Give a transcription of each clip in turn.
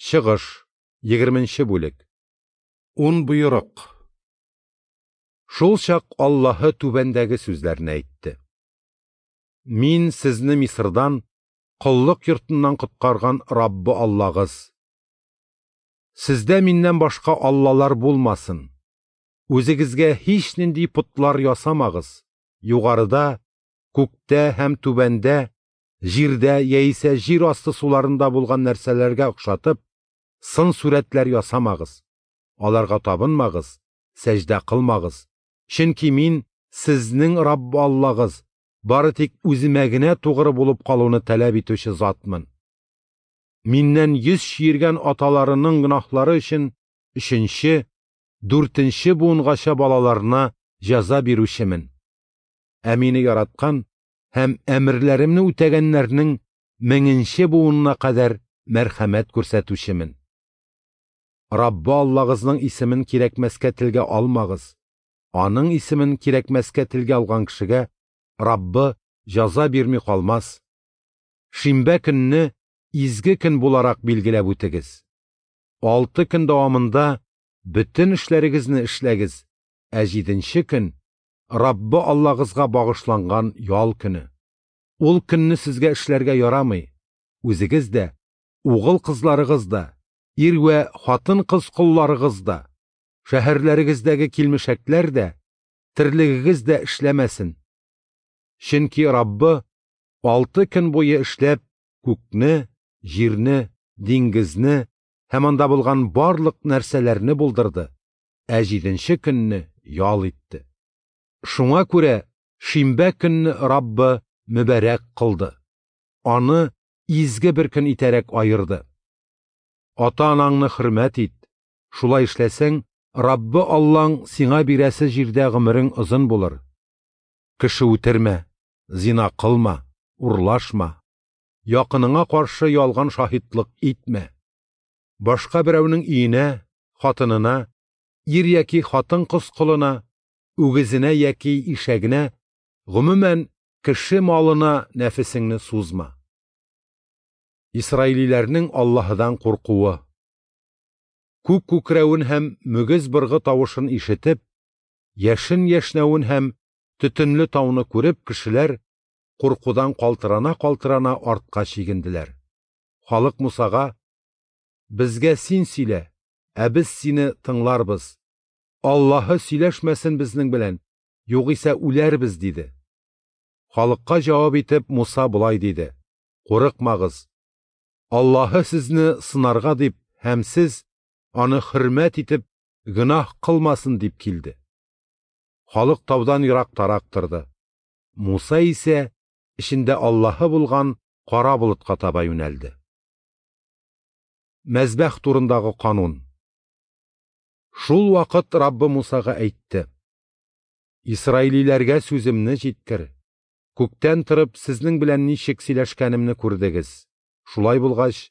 Чыгыш, 20 бүлек. Ун боерык. Шул чак Аллаһы түбәндәге сүзләрне әйтте. Мин сезне Мисырдан, коллык йортыннан коткарган Раббы Аллагыз. Сездә миннән башка аллалар булмасын. Үзегезгә һичнинди потлар ясамагыз. Югарыда, күктә һәм түбәндә, җирдә яисә җир асты суларында булган нәрсәләргә охшатып, сын сурәтләр ясамагыз. Аларга табынмагыз, сәҗдә кылмагыз. Чөнки мин сезнең Раббы Аллагыз, бары тик үземә генә тугры булып калуны таләп итүче затмын. Миннән йөз чөергән аталарының гөнаһлары өчен 3-нче, 4-нче буынгача балаларына җәза бирүчемен. Ә мине яраткан һәм әмерләремне үтәгәннәрнең 1000-нче буынына кадәр мәрхәмәт күрсәтүчемен. Раббы Аллагызның исемен кирәкмәскә телгә алмагыз. Аның исемен кирәкмәскә телгә алган кешегә Раббы җәза бирми калмас. Шимбә көнне изге көн буларак билгеләп үтегез. 6 көн дәвамында бөтен эшләрегезне эшләгез, ә 7-нче көн Раббы Аллагызга багышланган ял көне. Ул көнне сезгә эшләргә ярамый. Үзегез дә, угыл кызларыгыз да, ир вә хатын-кыз колларыгыз да, шәһәрләрегездәге килмешәкләр дә, терлегегез дә эшләмәсен. Чөнки Раббы 6 көн буе эшләп күкне, җирне, диңгезне һәм анда булган барлык нәрсәләрне булдырды, ә 7-нче көнне ял итте. Шуңа күрә шимбә көнне Раббы мөбарәк кылды. Аны изге бер көн итәрәк аерды. Ата-анаңны хөрмәт ит. Шулай эшләсәң, Раббы Аллаң сиңа бирәсе җирдә гомерең озын булыр. Кеше үтермә, зина кылма, урлашма. Якыныңа каршы ялган шаһитлык итмә. Башка берәүнең өенә, хатынына, ир яки хатын-кыз колына, үгезенә яки ишәгенә, гомумән кеше малына нәфесеңне сузма. Исраилиләрнең Аллаһыдан куркуы. Күк күкрәвен һәм мөгез быргы тавышын ишетеп, яшен яшнәвен һәм төтенле тауны күреп, кешеләр куркудан калтырана-калтырана артка чигенделәр. Халык Мусага: "Безгә син сөйлә, ә без сине тыңларбыз. Аллаһы сөйләшмәсен безнең белән, югыйсә үләрбез", диде. Халыкка җавап итеп Муса болай диде: "Курыкмагыз. Аллаһы сезне сынарга дип һәм сез аны хөрмәт итеп гөнаһ кылмасын дип килде." Халык таудан ерактарак торды. Муса исә эчендә Аллаһы булган кара болытка таба юнәлде. Мәзбәх турындагы канун. Шул вакыт Раббы Мусага әйтте: "Исраилиләргә сүземне җиткер. Күктән торып сезнең белән ничек сөйләшкәнемне күрдегез. Шулай булгач,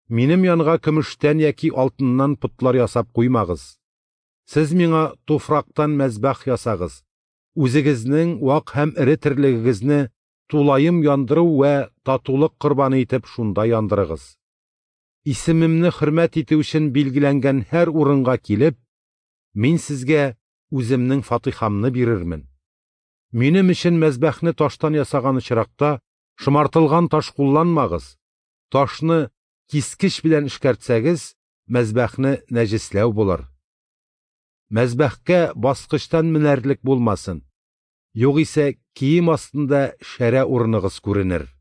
минем янга көмештән яки алтыннан потлар ясап куймагыз. Сез миңа туфрактан мәзбәх ясагыз. Үзегезнең вак һәм эре терлегегезне тулаем яндыру вә татулык корбаны итеп шунда яндырыгыз. Исемемне хөрмәт итү өчен билгеләнгән һәр урынга килеп, мин сезгә үземнең фатихамны бирермен. Минем өчен мәзбәхне таштан ясаган очракта шомартылган таш кулланмагыз. Ташны кискеч белән эшкәртсәгез, мәзбәхне нәҗесләү булыр. Мәзбәхкә баскычтан менәрлек булмасын. Югыйсә кием астында шәрә урыныгыз күренер."